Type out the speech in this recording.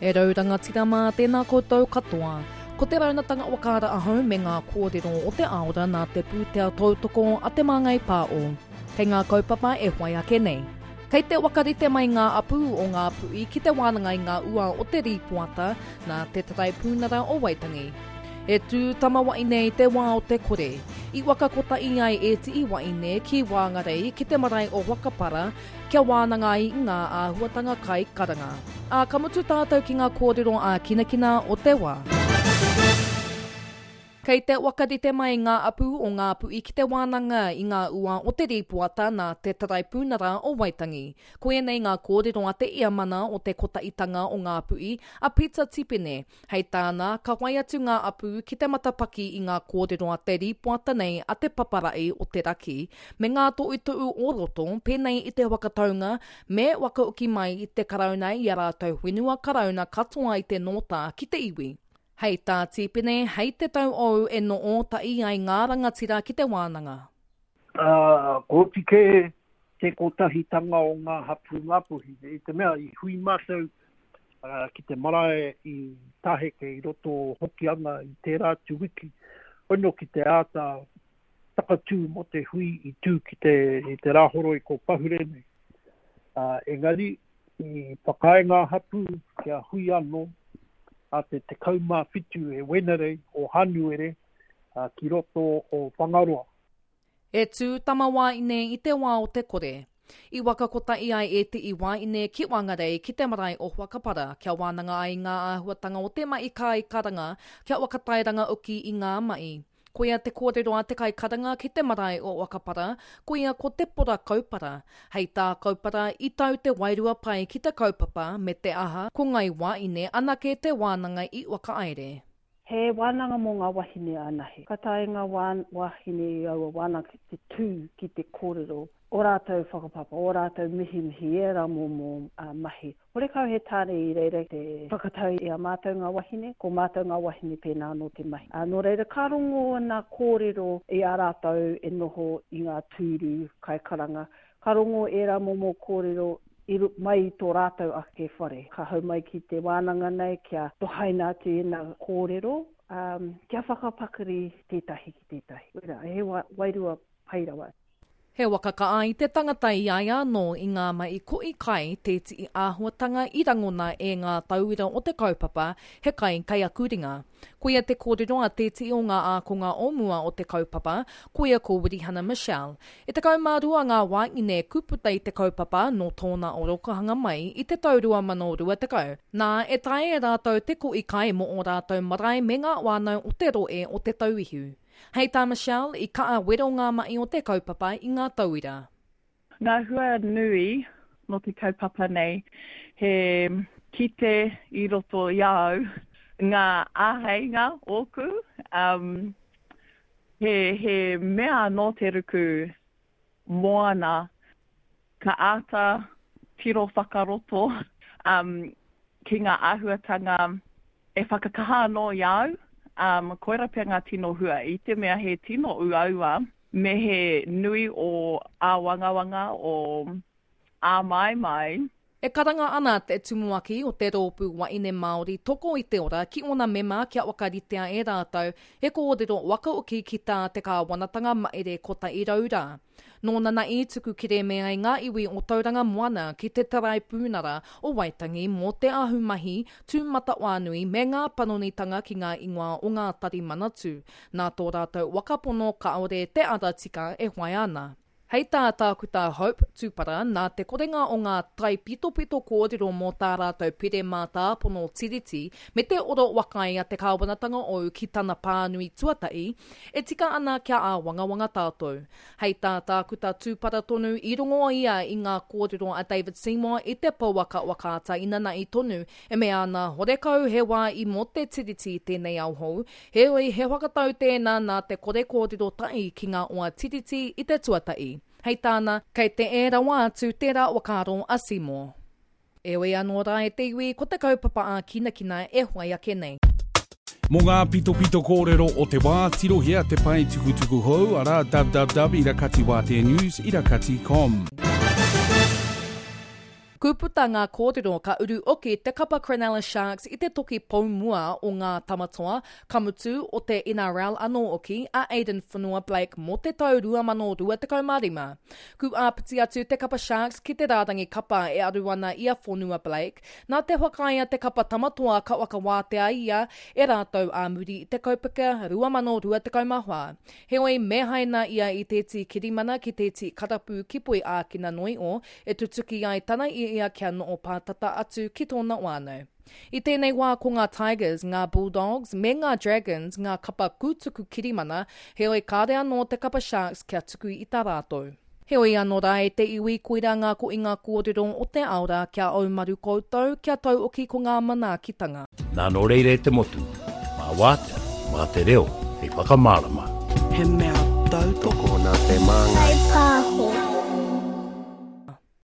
E rau rangatira mā, tēnā koutou katoa. Ko te raunatanga whakaara ahau me ngā kōrero o te aora nā te pūtea tautoko a Te Māngai Pāo. Kei ngā kaupapa e whai ake nei. Kei te whakarite mai ngā apū o Ngāpuhi ki te wānanga i ngā ua o te rīpoata nā te Taraipunara o Waitangi. E tū tamawa'i nei te wā o te kore. I waka kotahi ai ētihi waeine ki Wāngarei ki te marae o Whakapara kia wānanga ai i ngā āhuatanga kai karanga. Ā, ka mutu tātou ki ngā kōrero ākinakina o te wā. Kei te whakarite mai ngā apū o Ngāpuhi ki te wānanga i ngā ua o te rīpoata nā te Taraipunara o Waitangi. Ko ēnei ngā kōrero a te Iamana o te Kotahitanga o Ngāpuhi, a Peter Tipene. Hei tāna, ka whai atu ngā apū ki te matapaki i ngā kōrero a te rīpoata nei a te Paparahi o te Raki me ngā tohutohu o roto pēnei i te whakataunga me whakahoki mai i te Karauna i a rātou whenua Karauna katoa i te nōta ki te iwi. Hei tā Tīpene, hei te tau ou e noo tahi ai ngā rangatira ki te wānanga. Ā, ko oti kē te kotahitanga o ngā hapū Ngāpuhi, i te mea i hui mātou ki te marae i Taheke i roto o Hokianga i tērā atu wiki, hono ki te āta takatū mō te hui i tū ki te, i te Rāhoroi ko pahure nei. Ā, engari, i whakaae ngā hapū kia hui anō a te 17 e Wenerei o Hānuere ki roto o Whangaroa. E tū tamawaine i te wā o te kore. I waka kotahi ai ētehi wāine ki Whangarei ki te marae o Whakapara kia wānanga ai ngā āhuatanga o te mahi kai karanga kia whakatairanga hoki i ngā mahi. Koia te kōrero a te kaikaranga ki te marae o Whakapara, koia ko Te Pora Kaupara. Hei tā Kaupara, i tau te wairua pai ki te kaupapa, me te aha, ko Ngai Wāine anake te wānanga i whakahaere. He wānanga mō ngā wahine anahe. Ka taea ngā wāhine i aua wānanga ki te tū ki te kōrero ō rātou whakapapa, ō rātou mihimihi, ērā momo mahi. Horekau he tāne i reira te whakatau i a mātou ngā wahine, ko mātou ngā wahine pēnā anō te mahi. Ā, nō reira ka rongo ana kōrero i a rātou e noho i ngā tūru kaikaranga, ka rongo ērā momo kōrero i mai i tō rātou ake whare. Ka hau mai ki te wānanga nei kia tohaina atu ēnā kōrero, ā, kia whakapakari tētahi ki tētahi. Wera, he wairua pai rawa. He waka ka ai te tangata i a ia anō i ngā mahi kohi kai tētihi āhuatanga i rangona e ngā tauira o te kaupapa He Kai Kei Aku Ringa. Koia te kōrero a tētihi o ngā ākonga o mua o te kaupapa, koia ko Wirihana Michelle. E 12 ngā wāhine kuputa i te kaupapa nō tōna orokohanga mai i te tau 2020. Nā, e taea e rātou te kohi kai mō ō rātou marae me ngā whānau o te rohe o Te Tauihu. Hei tā Michelle, i kaha wero ngā mahi o te kaupapa i ngā tauira. Ngā hua nui nō te kaupapa nei, he kite i roto i a au ngā āheinga ōku, he, he mea anō te ruku moana ka āta tiro whakaroto ki ngā āhuatanga e whakakaha anō i a au, um, koira pea ngā tino hua, i te mea he tino uaua me he nui o āwangawanga, o āmaimai. E karanga ana te tumuaki o te Rōpū Waeine Māori Toko i te Ora ki ōna mema kia whakaritea e rātou he kōrero whakaoki ki tā te kāwanatanga mahere 100 rā. Nōna na i tuku kerēme ai ngā iwi o Tauranga Moana ki te Taraipunara o Waitangi mō te ahumahi tūmatawhānui me ngā panonitanga ki ngā ingoa o ngā tari manatū, nā tō rātou whakapono kāore te ara tika e whai ana. Hei tā Tākuta Hope Tupara, nā te korenga o ngā taipitopito kōrero mō tā rātou pire mātāpono Tiriti me te oro whakaae a te kāwanatanga ou ki tana pānui tuatahi, E tika ana kia āwangawanga tātou. Hei tā Tākuta Tūpara tonu, i rongo ia i ngā kōrero a David Seymour i te pouaka whakaata inanahi tonu, e mea ana horekau he wā i mō te Tiriti i tēnei ao hou, heoi he whakatau tēnā nā te kore kōrero tahi ki ngā oa Tiriti i te tuatahi. Hei tāna, kei te ē rawa atu tērā whakaaro a Seymour. Heoi anō rā e te iwi, ko te kaupapa ākinakina e whai ake nei. Mō ngā pitopito kōrero o te wā, tirohia te pae tukutuku hou, arā, www irakatiwāteanews irakati com. Ku puta ngā kōrero ka uru oki te kapa Cronulla Sharks i te toki pou mua o ngā Tamatoa, ka mutu, o te NRL anō oki, a Addin Fonua-Blake mō te tau 2025. Ku āpiti atu te kapa Sharks ki te rārangi kapa e aru ana i a Fonua-Blake, nā te whakaae a te kapa Tamatoa ka whakawātea ia e rātou ā muri i te kaupeka 2024. Heoi, me haina ia i tēti kirimana ki tēti karapu ki Poi Ākina noi o, e tutuki ai tana i ia kia noo pātata atu ki tōna whānau. I tēnei wā ko ngā Tigers, ngā Bulldogs me ngā Dragons ngā kapa kūtuku kirimana, heoi kāre anō te kapa Sharks kia tuku i tā rātou. Heoi ano ra e te iwi koira nga koinga korero o te ao ra kia aumaru koutou, kia tauoki ko nga manaakitanga. Nā nō reira e te motu, mā wātea, mā te reo hei whakamārama. He mea tautoko. Tokona te māngai. Whai pāho.